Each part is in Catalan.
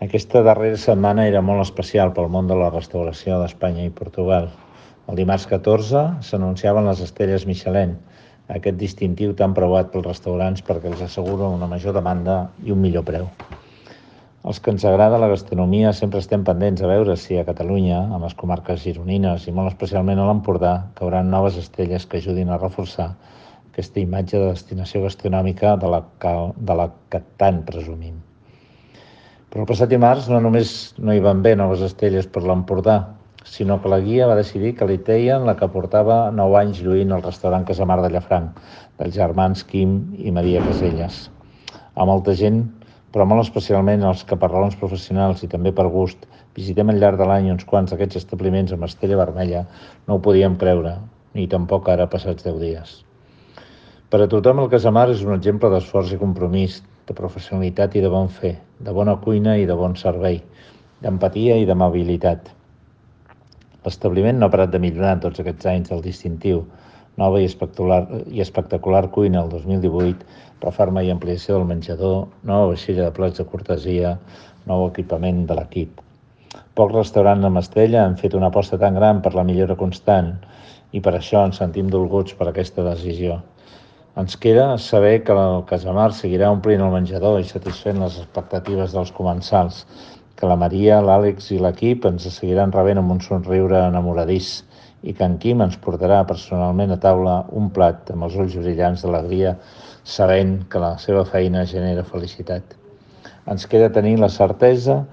Aquesta darrera setmana era molt especial pel món de la restauració d'Espanya i Portugal. El dimarts 14 s'anunciaven les Estrelles Michelin, aquest distintiu tan preuat pels restaurants perquè els assegura una major demanda i un millor preu. Els que ens agrada la gastronomia sempre estem pendents a veure si a Catalunya, a les comarques gironines i molt especialment a l'Empordà, cauran noves estrelles que ajudin a reforçar aquesta imatge de destinació gastronòmica de la que tant presumim. Però el passat dimarts no només no hi van bé noves estrelles per l'Empordà, sinó que la guia va decidir que li teien la que portava 9 anys lluint el restaurant Casamar de Llafranc, dels germans Quim i Maria Caselles. A molta gent, però molt especialment els que per raons professionals i també per gust visitem al llarg de l'any uns quants d'aquests establiments amb estrella vermella, no ho podíem creure, ni tampoc ara passats 10 dies. Per a tothom el Casamar és un exemple d'esforç i compromís, de professionalitat i de bon fer, de bona cuina i de bon servei, d'empatia i d'amabilitat. L'establiment no ha parat de millorar en tots aquests anys del distintiu. Nova i espectacular cuina el 2018, reforma i ampliació del menjador, nova vaixella de plats de cortesia, nou equipament de l'equip. Pocs restaurants amb estrella han fet una aposta tan gran per la millora constant i per això ens sentim dolguts per aquesta decisió. Ens queda saber que el Casamar seguirà omplint el menjador i satisfent les expectatives dels comensals, que la Maria, l'Àlex i l'equip ens seguiran rebent amb un somriure enamoradís i que en Quim ens portarà personalment a taula un plat amb els ulls brillants d'alegria, sabent que la seva feina genera felicitat. Ens queda tenir la certesa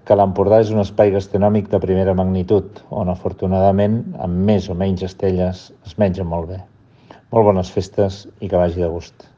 que l'Empordà és un espai gastronòmic de primera magnitud, on afortunadament, amb més o menys estrelles, es menja molt bé. Molt bones festes i que vagi de gust.